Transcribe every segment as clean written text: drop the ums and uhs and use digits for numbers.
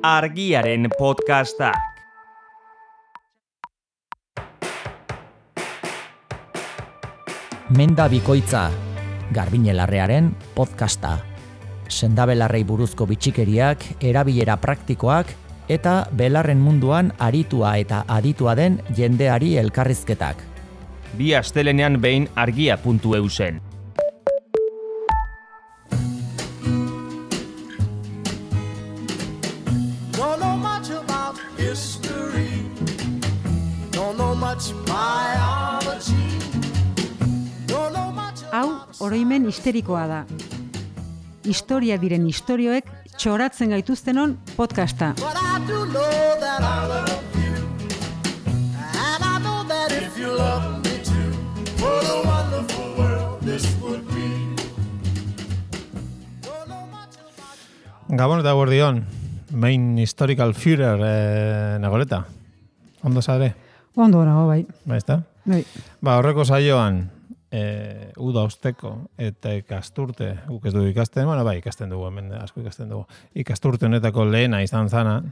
Argiaren podcastak. Menda bikoitza, Garbiñe Larrearen podcasta. Sendabelarrei buruzko bitxikeriak, erabilera praktikoak eta belarren munduan aritua eta aditua den jendeari elkarrizketak. Bi astelenean behin argia.eu zen. Hau, oroimen histerikoa da. Historia diren istorioek txoratzen gaituztenon podcasta. Gabon eta guardion, main historical Führer nagoleta. Ondo zare? Ondo nago, bai. Baizta? Bai. Horreko saioan, uda osteko eta ikasturte, guk ez dugu ikasten, ikasten dugu, hemen asko ikasten dugu. Ikasturte honetako lehena izan zana,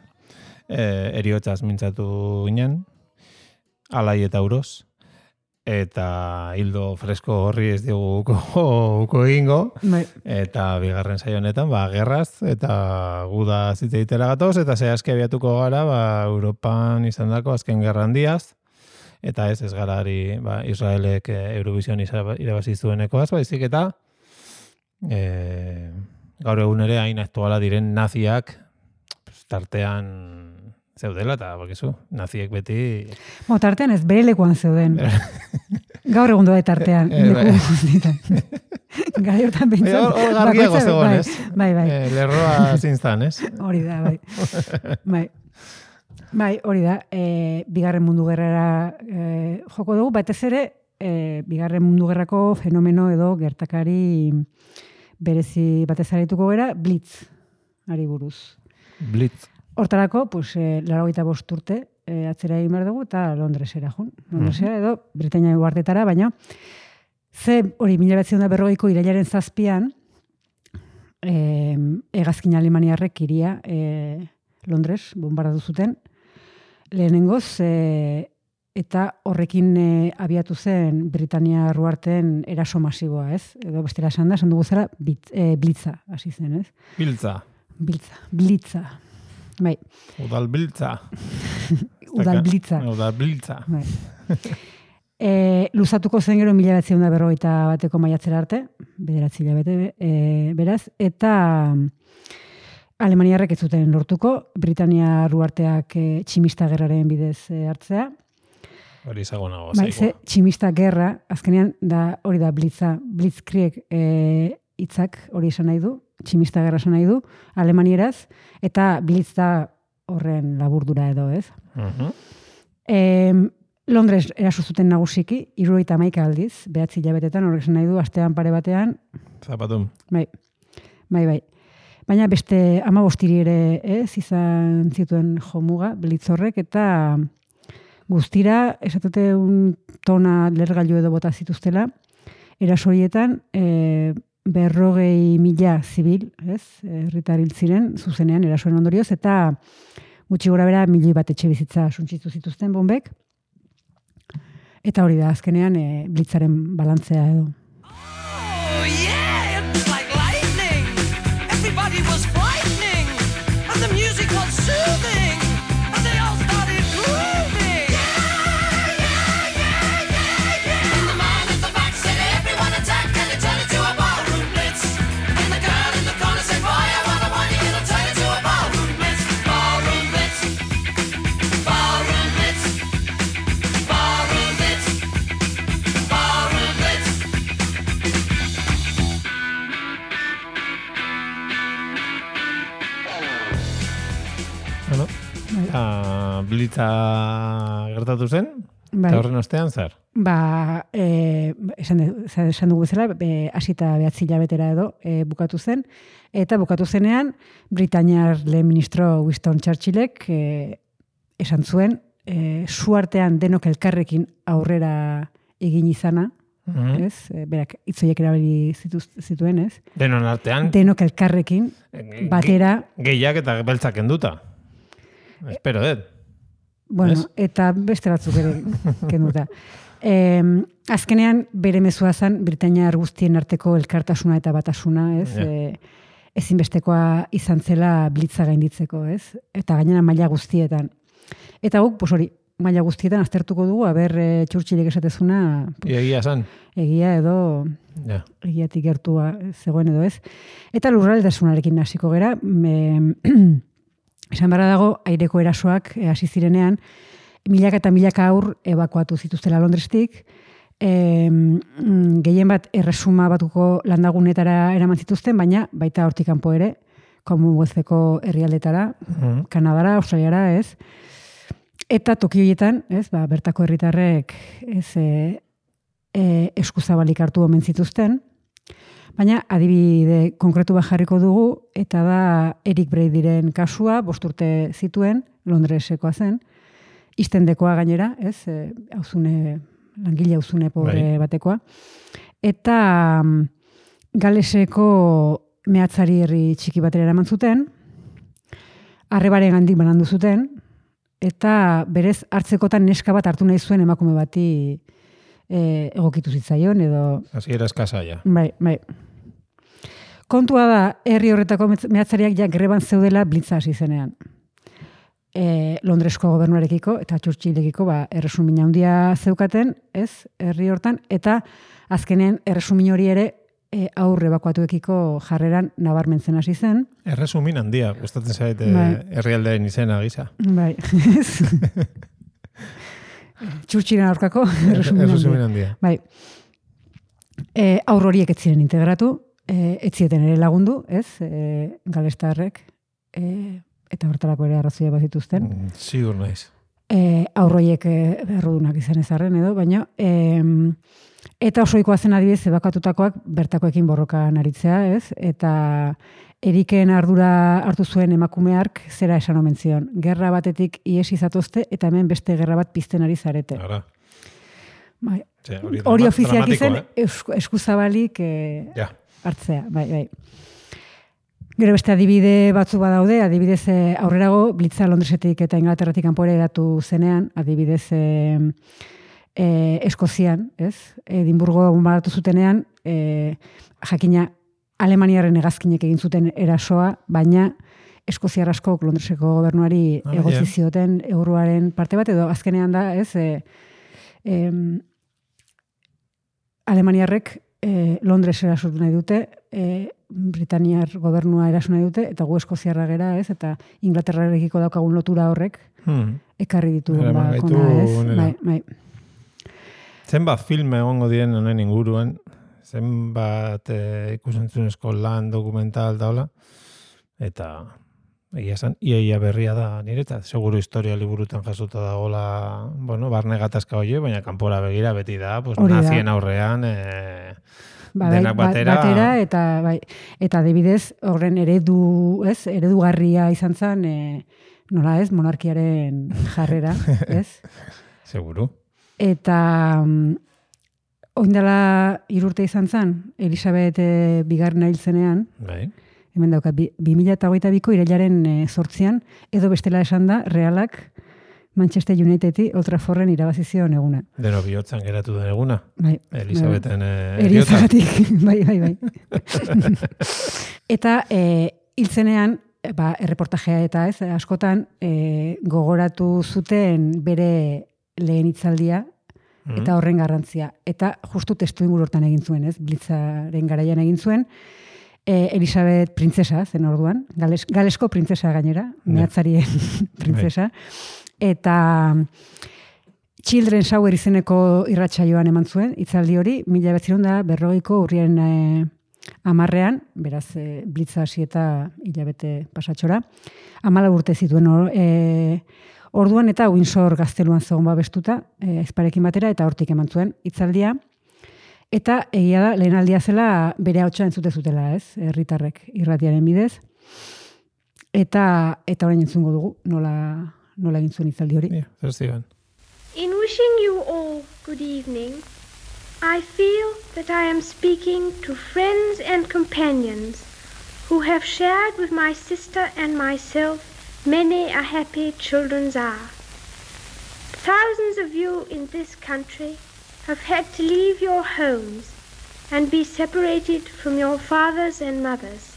eriotzaz mintzatu ginen, alai eta uroz, eta hildo fresko horri ez dugu uko egingo, eta bigarren saio honetan, gerraz, eta guda zitze ditera gatoz, eta zehazki abiatuko gara, Europan izan dako azken gerra handiaz, eta ez garari Israelek Eurovision irabazi zuenekoaz, baizik eta gaur egun ere hain aktuala diren naziak tartean zeudela, eta bakizu, naziek beti... Tartean ez, bere lekuan zeuden. Gaur egun doa tartean. Gai hortan bintzen. Hor gargiago zegoen, ez? Bai. Lerroa zintzan, ez? Hori da, bai. Bai, hori da, bigarren mundu gerrara joko dugu, batez ere, bigarren mundu gerrako fenomeno edo gertakari berezi batez arituko gara, Blitz, ari buruz. Blitz. Hortarako, 85 urte atzera egin behar dugu, eta Londresera jun. Londresera edo Britainia uhartetara, baina ze hori 1940ko irailaren 7an, hegazkin alemaniarrek iria Londres bombardatu zuten, lehenengoz, eta horrekin abiatu zen Britania ruarten eraso masiboa, ez? Edo bestela esan da, esan dugu zera, Blitza, hasi zen, ez? Blitza. Bai. Udalbiltza. Udalbiltza. Bai. Luzatuko zen gero 1941 maiatzera arte, 9 hilabete, beraz, eta alemaniarrek ez zuten lortuko, Britania ruarteak tximista gerraren bidez hartzea. Hori izagonago, zaiko. Tximista gerra, azkenean, hori da Blitza, Blitzkrieg hitzak hori esan nahi du, tximista gerra esan nahi du, alemanieraz, eta Blitz da horren laburdura edo, ez? Londres eraso zuten nagusiki, 71 aldiz, 9 hilabetetan, horrek esan nahi du, astean pare batean. Zapatum. Bai. Baina beste 15 ere izan zituen jomuga, Blitz horrek, eta guztira, esatute tona lergailu edo bota zituztela, eraso horietan, 40.000 zibil, herritar hil ziren, zuzenean erasoen ondorioz, eta gutxi gora bera 1.000 bat etxe bizitza suntsitu zituzten bombek, eta hori da, azkenean Blitzaren balantzea edo. Blitza gertatu zen? Eta horren ostean zer? Esan dugu zela, hasita 9 hilabetera edo bukatu zen, eta bukatu zenean Britainiar lehen ministro Winston Churchillek esan zuen, suartean denok elkarrekin aurrera egin izana, ez? Berak hitzoiek erabili zituen, ez? Denon artean. Denok elkarrekin batera. Gehiak eta beltzak enduta. Espero, Bueno, Ez? eta beste batzuk ere kenduta. Azkenean bere mezua zen Britainiar guztien arteko elkartasuna eta batasuna, ez? Ja. Ezinbestekoa izan zela blitza gainditzeko, ez? Eta gainera maila guztietan. Eta guk, pues hori, maila guztietan aztertuko dugu, Churchillek esatezuna, Egia esan. egia edo Ja. egiatik gertua zegoen edo ez. Eta lurraldetasunarekin hasiko gera, esan barra dago, aireko erasoak hasi zirenean, milaka eta milaka aur ebakuatu zituztela Londrestik, gehien bat erresuma batuko landagunetara eraman zituzten, baina baita hortik kanpo ere, Commonwealtheko herrialdetara, Kanadara, Australiara, ez? Eta toki horietan, ez, bertako herritarrek eskuzabalik hartu omen zituzten, baina adibide konkretu bat jarriko dugu, eta da Eric Bradyren kasua, 5 urte zituen, Londresekoa zen, iztendekoa gainera, ez, langile auzune pobre batekoa, eta Galeseko mehatzari herri txiki batera eraman zuten, arrebaren gandik banandu zuten, eta berez hartzekotan neska bat hartu nahi zuen emakume bati egokitu zitzaion, edo... Hasiera eskasa, ja. Bai. Kontua da, herri horretako mehatzariak ja greban zeudela blitza hasi zenean. Londresko gobernuarekiko eta Churchillekiko erresumin handia zeukaten, ez, herri hortan, eta azkenean erresumin hori ere aurre ebakuatuekiko jarreran nabarmentzen hasi zen. Erresumin handia, gustatzen zait herrialdeen izena gisa. Bai, Churchillen aurkako erresumin handia. Bai. Aur horiek ez ziren integratu, ez zieten ere lagundu, ez, galestarrek, eta hortarako ere arrazoia bat zituzten. Zigur naiz. Aur horiek errudunak izan ezarren edo, baina eta osoikoa zen adibidez ebakatutakoak bertakoekin borrokan aritzea, ez? Eta Eriken ardura hartu zuen emakumeark zera esan omen zion. Gerra batetik iesi zatozte eta hemen beste gerra bat pizten ari zarete. Ara. Bai. Hori ofiziak izen eskuzabalik hartzea. Bai. Gero beste adibide batzu badaude, adibidez aurrerago blitza Londresetik eta Inglaterratik kanpora hedatu zenean, adibidez Eskozian, ez? Edinburgo bombardatu zutenean, jakina Alemaniaren hegazkinek egin zuten erasoa, baina Eskoziar askok Londreseko gobernuari egotzi zioten euroaren parte bat, edo azkenean da, ez? Alemaniarrek Londres erasotu nahi dute, Britaniar gobernua eraso nahi dute, eta gu Eskoziarra gera, ez? Eta Inglaterrarekiko daukagun lotura horrek ekarri ditu kona, ez? Bai. Zenbat film egongo diren honen inguruan, zenbat ikusentzunezko lan dokumental daula, eta egia esan, ia berria da niretzat, seguru historia liburutan jasuta dagoela, barne gatazka hori, baina kanpora begira beti da, nazien aurrean, denak batera eta adibidez horren eredugarria izan zen, nola ez, monarkiaren jarrera, ez? Seguru. Eta oindala 3 urte izan zen, Elisabet bigarrena hil zenean, hemen dauka, 2022ko irailaren 8an, edo bestela esan da, Realak Manchester Unitedi Old Trafforden irabazi zion eguna. Deno bihotzan geratu den eguna. Bai. Elisabeten eriotzatik. Bai. Eta hil zenean, erreportajea eta ez, askotan gogoratu zuten bere lehen hitzaldia, eta horren garrantzia. Eta justu testu inguru hortan egin zuen, ez? Blitzaren garaian egin zuen. Elisabet printzesa zen orduan, galesko printzesa gainera, mehatzarien printzesa. Eta Children's Hour izeneko irratsaioan eman zuen, hitzaldi hori, 1940ko urriaren 10ean, beraz, blitza hasi eta hilabete pasatxora, 14 urte zituen orduan eta Windsor gazteluan zegoen babestuta, ezparekin batera, eta hortik eman zuen hitzaldia. Eta egia da, lehen aldia zela bere hautsa entzute zutela, ez? Herritarrek irratiaren bidez. Eta orain entzungo dugu, nola egin zuen hitzaldi hori. In wishing you all good evening, I feel that I am speaking to friends and companions who have shared with my sister and myself many a happy children's are. Thousands of you in this country have had to leave your homes and be separated from your fathers and mothers.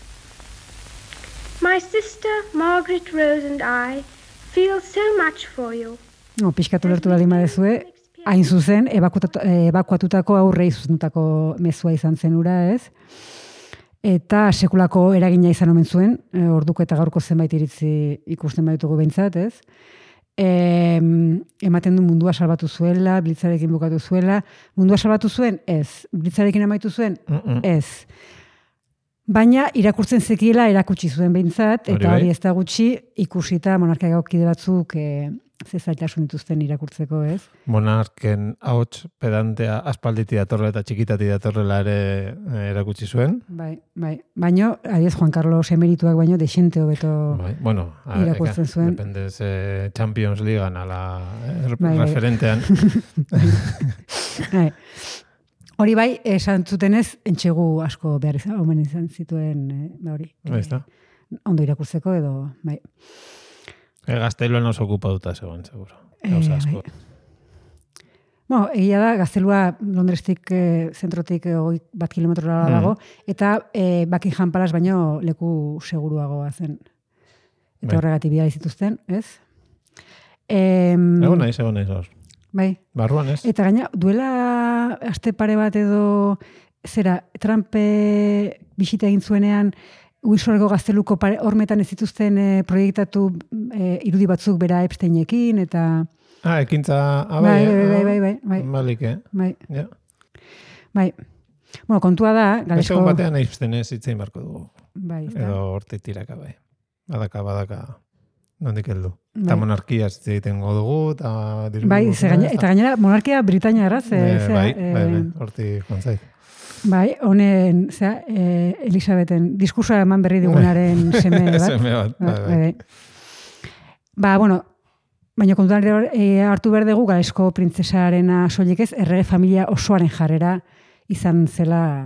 My sister Margaret Rose and I feel so much for you. No, pixkatu lertu baldin badezue, hain zuzen, ebakuatutako aurrei zuzendutako mezua izan zen ura, ez? Eta sekulako eragina izan omen zuen, orduko eta gaurko zenbait iritzi ikusten baditugu behintzat, ez? Ematen du mundua salbatu zuela, blitzarekin bukatu zuela. Mundua salbatu zuen? Ez. Blitzarekin amaitu zuen? Ez. Baina irakurtzen zekiela erakutsi zuen behintzat, eta hori ez da gutxi ikusita monarkia kide batzuk zailtasun dituzten irakurtzeko, ez? Monarken ahots pedantea aspalditi datorrela eta txikitati datorrela ere erakutsi zuen. Bai. Baina, adiez Juan Carlos emerituak baino dexente hobeto irakurtzen zuen. Depende Champions Leaguean ala referentean. Hori bai, esan zutenez, entxegu asko behar omen izan zituen, hori. Ondo irakurtzeko edo, bai. Gazteluan oso okupatuta zegoen, seguro. Gauza asko. Egia da, Gaztelua Londrestik, zentrotik 1 kilometrora dago, eta Buckingham Palace baino leku seguruagoa zen. Eta horregatik bidali zituzten, ez? Egon naiz hor. Bai. Barruan, ez? Eta gaina, duela aste pare bat edo, Trump bisita egin zuenean, Windsoreko Gazteluko hormetan ez dituzten proiektatu irudi batzuk bera Epsteinekin, eta... Ekintza... Bai. Balik, Bai. Bueno, kontua da... Egon batean Epsteinez hitzein barko dugu. Bai. Edo hortik tiraka, bai. Badaka. Nondik heldu. Eta monarkia egiten dugu, eta... Bai, eta gainera monarkia Britania erraz. Bai, hortik joan zait. Bai, honen, Elisabeten diskursoa eman berri digunaren seme bat. Seme bat, bai. Bueno, baina kontuan hartu behar dugu Galesko printzesarena soilik ez, errege familia osoaren jarrera izan zela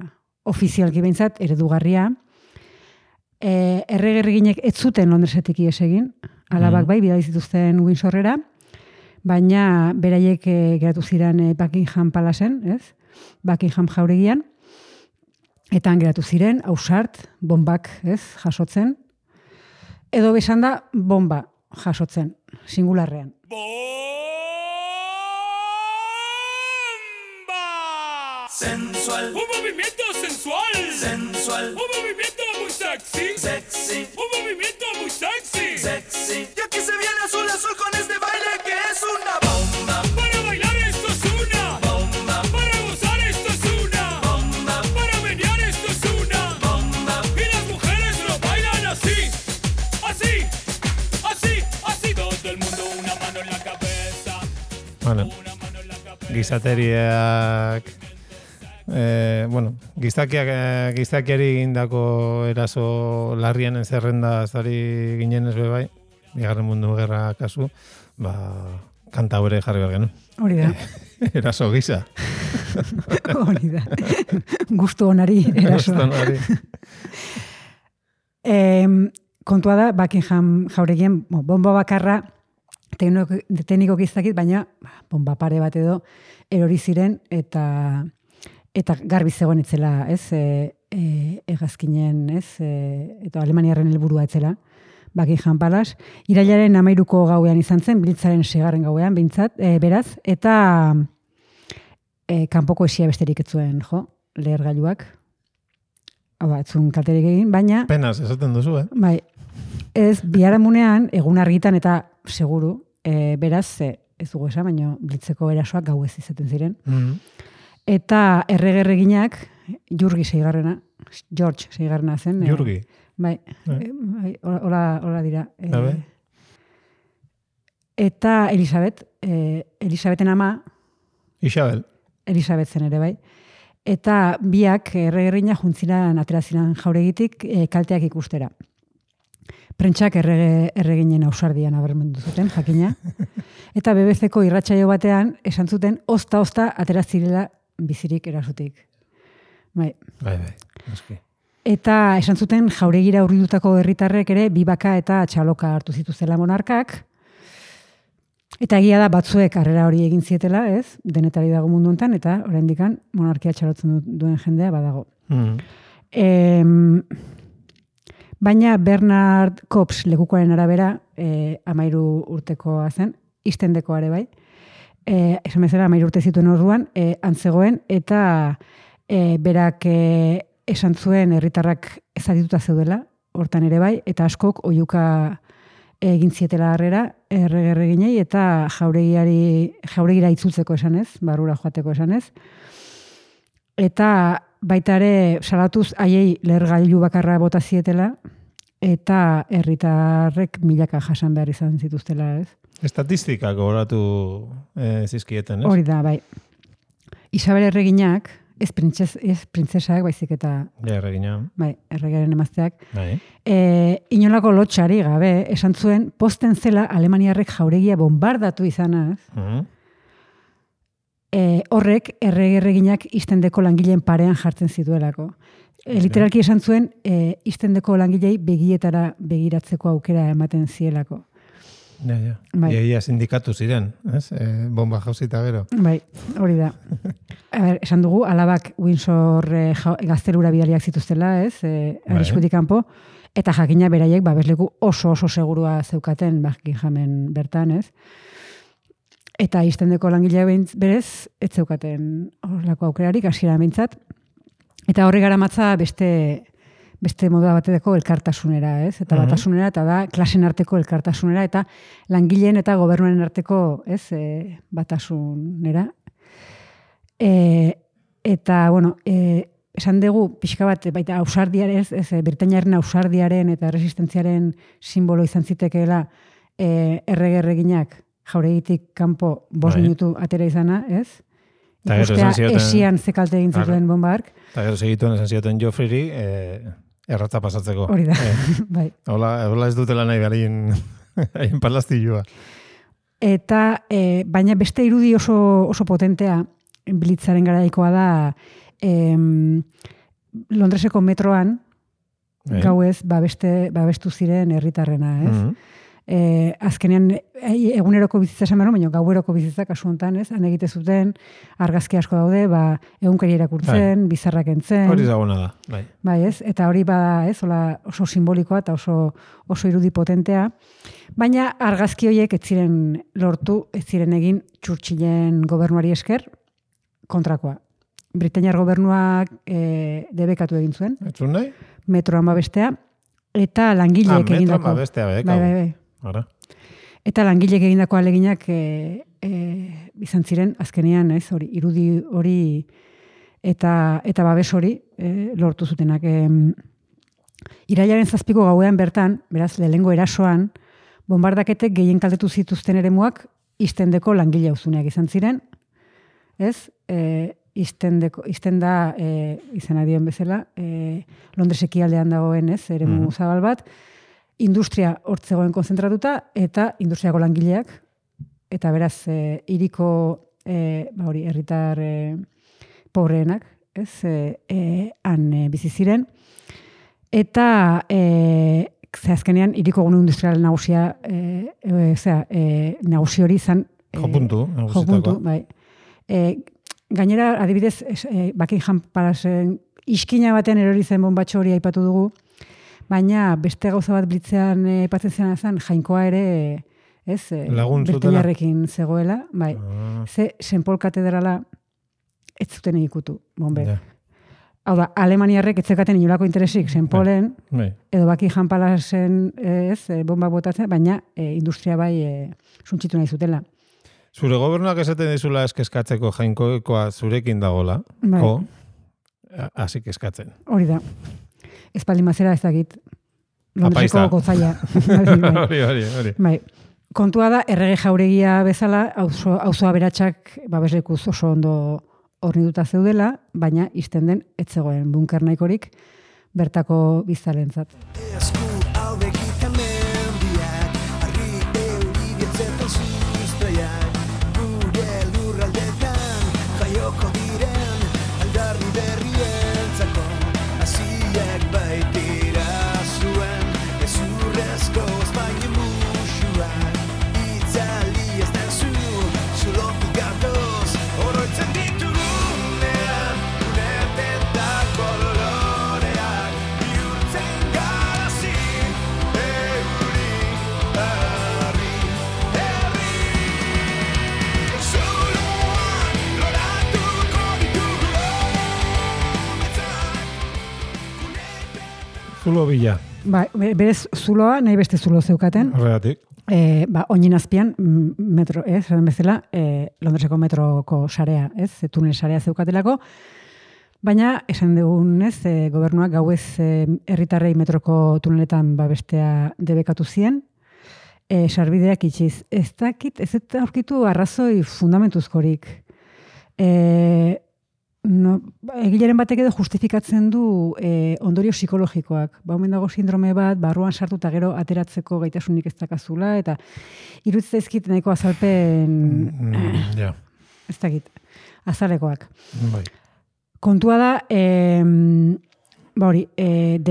ofizialki behintzat, eredugarria. Errege erreginek ez zuten Londresetik ies egin, alabak bai, bidali zituzten Windsorrera, baina beraiek geratu ziren Buckingham Palacen, ez? Buckingham jauregian, eta geratu ziren, ausart, bombak, ez, jasotzen. Edo besan da, bomba jasotzen, singularrean. ¡Bomba! Sensual. Un movimiento sensual. Sensual. Un movimiento muy sexy. Sexy. Un movimiento muy sexy. Sexy. Y aquí se viene azul azul con este baile que es una bomba. Para bailar esto es una bomba. Para gozar esto es una bomba. Para menear esto es una bomba. Y las mujeres lo bailan así. Así. Así. Así. Todo el mundo una mano en la cabeza. Bueno. Una mano en la cabeza. Gizateriak... gizakiari egindako eraso larrianen zerrenda zari ginen ez bai, Bigarren Mundu Gerra kasu, kanta hori jarri behar genuen. Hori da. Eraso gisa. Hori da. Gustu onari erasoa. Kontua da, Buckingham jauregien bomba bakarra tekniko gizakit, baina bomba pare bat edo erori ziren eta garbi zegoen etzela, ez, hegazkinen, ez, eta Alemaniarren helburua etzela, Buckingham Palace. Irailaren 13ko gauean izan zen, Blitzaren 6. gauean, behintzat, beraz, eta kanpoko esia besterik ez zuen, lehergailuak. Ez zuen kalterik egin, baina... Penaz, esaten duzu, Bai, ez, biharamunean, egun argitan eta seguru, beraz, ez dugu esan, baina Blitzeko erasoak gau ez izaten ziren. Eta erreginak, George 6. zen. Jurgi? Bai, hola dira. Eta Elisabeten ama... Isabel. Elisabet zen ere, bai. Eta biak erreginak juntziran aterazinan jauregitik kalteak ikustera. Prentsak erreginen ausardian abermendu zuten, jakina. Eta BBC-ko irratsaio batean esan zuten ozta aterazirela bizirik erasutik. Bai. Eski. Eta esan zuten jauregira hurridutako herritarrek ere bibaka eta txaloka hartu zituztela monarkak. Eta egia da batzuek harrera hori egin zietela, ez? Denetari dago mundu hontan eta oraindikan monarkia txalotzen duen jendea badago. Baina Bernard Kops lekukoaren arabera 13 urtekoa zen, iztendeko are bai. Esan bezala 13 urte zituen orduan antzegoen eta berak esan zuen herritarrak ezadituta zeudela, hortan ere bai, eta askok oihuka egin zietela harrera, erreginei eta jauregira itzultzeko esanez, barrura joateko esanez. Eta baita ere salatuz haiei lehergailu bakarra bota zietela eta herritarrek milaka jasan behar izan zituztela, ez? Estatistikak gogoratu zizkieten, ez? Hori da, bai. Isabel erreginak, ez printzesak, baizik eta... Ja, erregina. Bai, erregearen emazteak. Bai. Inolako lotxari gabe, esan zuen, posten zela Alemaniarrek jauregia bombardatu izanaz. Horrek erreginak iztendeko langileen parean jartzen zituelako. Literalki esan zuen, iztendeko langilei begietara begiratzeko aukera ematen zielako. Ja. Bai. Ia sindikatu ziren, ez? Bomba jauzita gero. Bai, hori da. Esan dugu, alabak Windsor gaztelura bidaliak zituztela, ez? Arriskutik kanpo. Eta jakina beraiek, babesleku oso segurua zeukaten Buckinghamen bertan, ez? Eta iztendeko langilea berez, ez zeukaten horrelako aukerarik, hasiera behintzat. Eta horri garamatza beste moda bateko elkartasunera, ez? Eta batasunera, eta da klasen arteko elkartasunera, eta langileen eta gobernuen arteko, ez, batasunera. Eta, bueno, esan dugu, pixka bat, baita ausardiaren, Britainiaren ausardiaren eta resistentziaren simbolo izan zitekeela erreginak jauregitik kanpo 5 minutu atera izana, ez? Ikustea esian zekalte egin zituen bombark. Eta gero segituen esan zioten Joffreyri, erratza pasatzeko. Hori da, bai. Hola ez dutela nahi hain palastillua. Eta, baina beste irudi oso potentea Blitzaren garaikoa da Londreseko metroan gauez babestu ziren herritarrena, ez? Azkenean eguneroko bizitza esan baina gaueroko bizitza kasu hontan, ez? Han egite zuten argazki asko daude, egunkari irakurtzen, bizarrak entzen. Hori zaguna da, bai. Bai, ez? Eta hori bada, ez? Oso simbolikoa eta oso irudi potentea. Baina argazki horiek ez ziren lortu, ez ziren egin Churchillen gobernuari esker kontrakoa. Britainiar gobernuak debekatu egin zuen. Etzun nahi? Metroan babestea. Eta langileek egindako. Metroan babestea, Bai. Ara. Eta langileek egindako aleginak izan ziren azkenean, ez, hori, irudi hori eta babes hori lortu zutenak. Irailaren 7ko gauean bertan, beraz, lehengo erasoan, bombardaketek gehien kaltetu zituzten eremuak iztendeko langile auzuneak izan ziren, ez? Iztenda izena dion bezala, Londres ekialdean dagoen, ez, eremu zabal bat, industria hortzegoen konzentratuta eta industriako langileak, eta beraz, hiriko herritar pobreenak, ez, han bizi ziren, eta azkenean hiriko gune industrial nagusia, nagusi hori izan jopuntu, bai. Gainera, adibidez, Buckingham Palace iskina batean erori zen bombatxo hori aipatu dugu, baina beste gauza bat Blitzean aipatzen zena zen, jainkoa ere, ez, Britainiarrekin zegoela, bai. Ze St. Paul katedrala ez zuten ikutu, bombe. Hau da, Alemaniarrek ez zekaten inolako interesik St. Paulen, edo Buckingham Palaceen bomba botatzen, baina industria bai suntxitu nahi zutela. Zure gobernuak esaten dizula eskatzeko jainkoekoa zurekin dagola, hasi eskatzen. Hori da. Espaldi mazera ez dakit. Londreseko gotzaia. Hori. Bai. Kontua da, errege jauregia bezala, auzo aberatsak babeslekuz oso ondo hornituta zeudela, baina izten den ez zegoen bunker nahikorik bertako biztalentzat. Joko diren aldarri berrientzako hasiak Zulo bila. Ba, berez zuloa, nahi beste zulo zeukaten. Horregatik. Oinin azpian, metro, zaten bezala, Londreseko metroko sarea, tunel sarea zeukatelako, baina, esan dugunez, gobernuak gauez herritarrei metroko tuneletan babestea debekatu zien, sarbideak itxiz. Ez dakit, ez eta aurkitu arrazoi fundamentuzkorik. Egileren batek edo justifikatzen du ondorio psikologikoak. Omen dago sindrome bat, barruan sartu eta gero ateratzeko gaitasunik ez dakazula, eta iruditzen zaizkit nahiko azalpen ez dakit, azalekoak. Bai. Kontua da,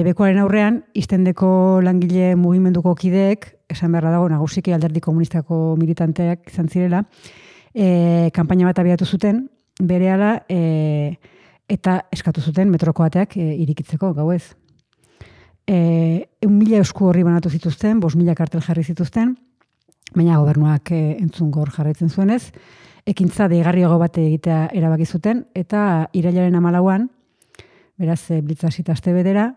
debekoaren aurrean, iztendeko langile mugimenduko kideek, esan beharra dago, nagusiki alderdi komunistako militanteak izan zirela, kanpaina bat abiatu zuten, berehala eta eskatu zuten metroko ateak irikitzeko gauez. 1.000 esku horri banatu zituzten, 5.000 kartel jarri zituzten, baina gobernuak entzungor jarraitzen zuenez, ekintza deigarriago bat egitea erabaki zuten, eta irailaren 14an, beraz, blitzasita aste bedera,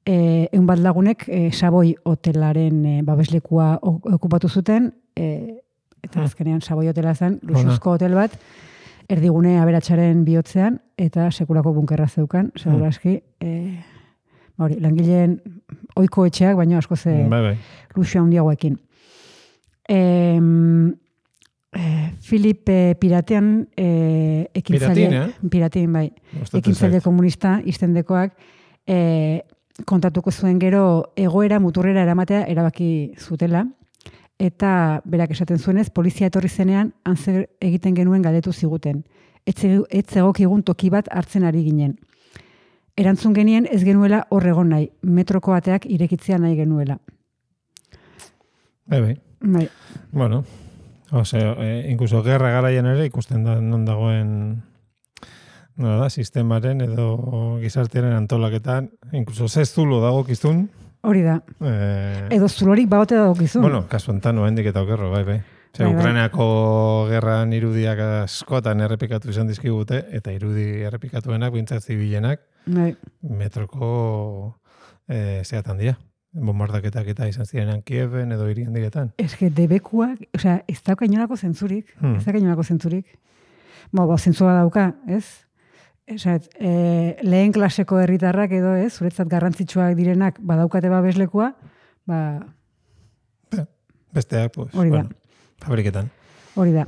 100 lagunek Savoy hotelaren babeslekua okupatu zuten, eta azkenean Savoy hotela zen, luxuzko hotel bat, erdigune aberatsaren bihotzean, eta sekulako bunkerra zeukan, seguraski, langileen ohiko etxeak, baina asko ze luxua handiagoekin. Filip Piratean Piratin, bai, ekintzaile komunista iztendekoak kontatuko zuen gero egoera muturrera eramatea erabaki zutela, eta berak esaten zuenez, polizia etorri zenean antzer egiten genuen galdetu ziguten. Ez egokigun toki bat hartzen ari ginen. Erantzun genien ez genuela hor egon nahi, metroko ateak irekitzea nahi genuela. Bai. Bueno, incluso gerra garaian ere ikusten da non dagoen sistemaren edo gizartearen antolaketan, incluso zulo dago kizun. Hori da. Edo zulorik baote dago kizun. Bueno, kasu enten oendik eta okerro, bai. Ukrainako gerran irudiak askotan errepikatu izan dizkigute, eta irudi errepikatuenak, bintzat zibilenak, metroko zeatan dira. Bombardaketak eta izan zirenean Kieven edo hiri handietan. Ez que debekuak, ez dauka inolako zentzurik. Zentzua dauka, ez? Lehen klaseko herritarrak edo, zuretzat garrantzitsuak direnak badaukate babeslekua, besteak, fabriketan. Hori da.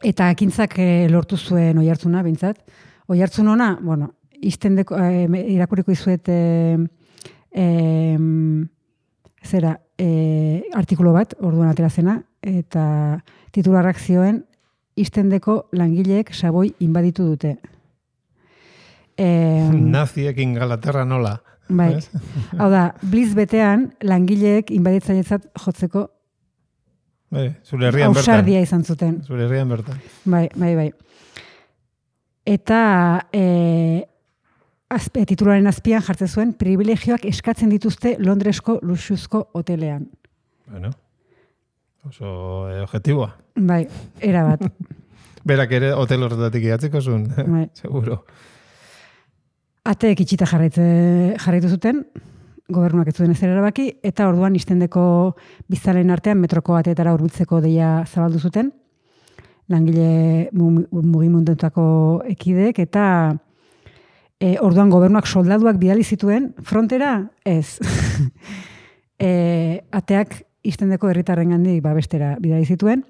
Eta ekintzak lortu zuen oihartzuna, bintzat. Oihartzun ona, iztendeko, irakuriko izuet artikulo bat, orduan atera zena, eta titularrak zioen, iztendeko langileek Savoy inbaditu dute. Naziek Ingalaterra nola. Bai. Hau da, Blitz betean langileek inbaditzailetzat jotzeko zure herrian bertan. Ausardia izan zuten. Zure herrian bertan. Bai. Eta titularen azpian jartzen zuen, privilegioak eskatzen dituzte Londresko luxuzko hotelean. Bueno, oso objetiboa. Bai, era bat. Berak ere hotel horretatik idatziko zuen, seguro. Ateek itxita jarraitu zuten, gobernuak ez zuen ezer erabaki, eta orduan iztendeko biztalen artean metroko ateetara hurbiltzeko deia zabaldu zuten, langile mugimundetako ekidek, eta orduan gobernuak soldaduak bidali zituen, frontera ez. Ateak iztendeko herritarrengandik babestera bidali zituen,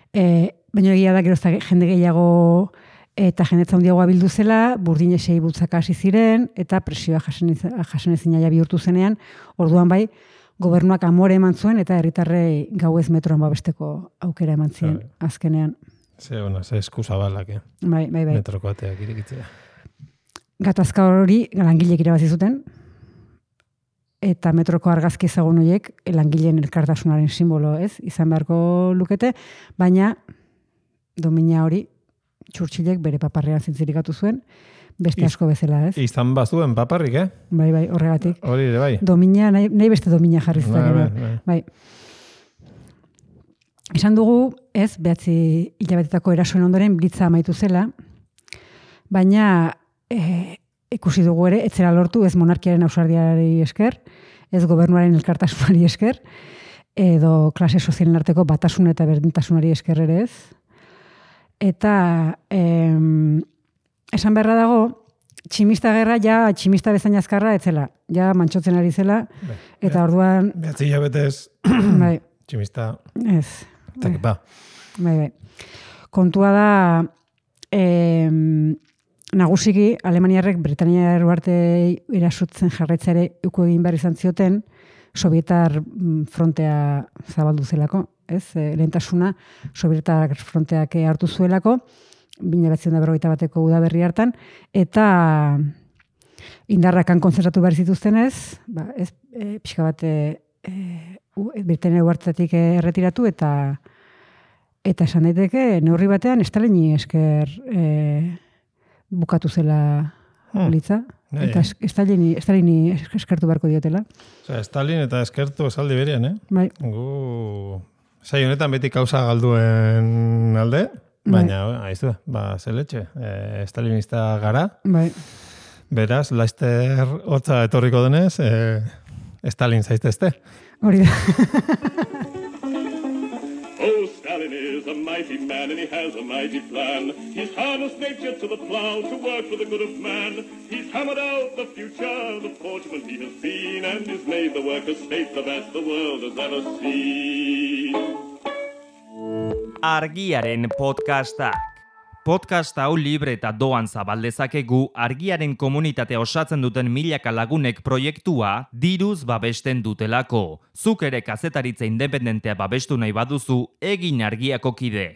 baina egia da gerozta jende gehiago eta jendetza handiagoa bildu zela, burdinesei bultzaka hasi ziren, eta presioa jasen ezinaia bihurtu zenean, orduan bai, gobernuak amore eman zuen, eta herritarrei gauez metroan babesteko aukera eman zien, azkenean. Ze eskuzabalak, Bai. Metroko ateak irekitzea. Gatazka hori langilek irabazi zuten, eta metroko argazki ezagun horiek langileen elkartasunaren simbolo, izan beharko lukete, baina domina hori Churchillek bere paparrean zintzirikatu zuen, beste asko bezala, Izan bazuen paparrik, Bai, horregatik. Hori ere, bai. Domina, nahi beste domina jarri zuten. Bai. Esan dugu, 9 hilabetetako erasoen ondoren blitza amaitu zela, baina ikusi dugu ere, etzera lortu ez monarkiaren ausardiari esker, ez gobernuaren elkartasunari esker, edo klase sozialen arteko batasun eta berdintasunari esker ere ez. Eta esan beharra dago, tximista gerra ja tximista bezain azkarra etzela, ja mantxotzen ari zela, eta orduan... Behatzi hilabetez bai, tximista... ez. Zakipa. Bai. Kontua da, nagusiki Alemaniarrek Britania eruarte irasutzen jarraitza ere uko egin behar izan zioten, Sovietar frontea zabaldu zelako, ez? Lehentasuna Sovietar fronteak hartu zuelako, 1941 udaberri hartan, eta indarrakan konzentratu behar zituztenez, ez pixka bat Britania eruartetik erretiratu, eta esan daiteke neurri batean Stalini esker bukatu zela litza. Eta Stalini eskertu beharko diotela. Stalin eta eskertu esaldi berian, Bai. Gu sai honetan beti kausa galduen alde, baina aizu, zeletxe, stalinista gara. Bai. Beraz, laster hotza etorriko denez, Stalin zaiztezte. Hori da. Oh, Stalin is a mighty man and he has a mighty plan. He's harnessed nature to the plow to work for the good of man. He's hammered out the future, the fortune he has seen, and he's made the worker state the best the world has ever seen. Argiaren podcastak. Podcast hau libre eta doan zabaldezakegu Argiaren komunitatea osatzen duten milaka lagunek proiektua diruz babesten dutelako. Zuk ere kazetaritza independentea babestu nahi baduzu, egin Argiako kide.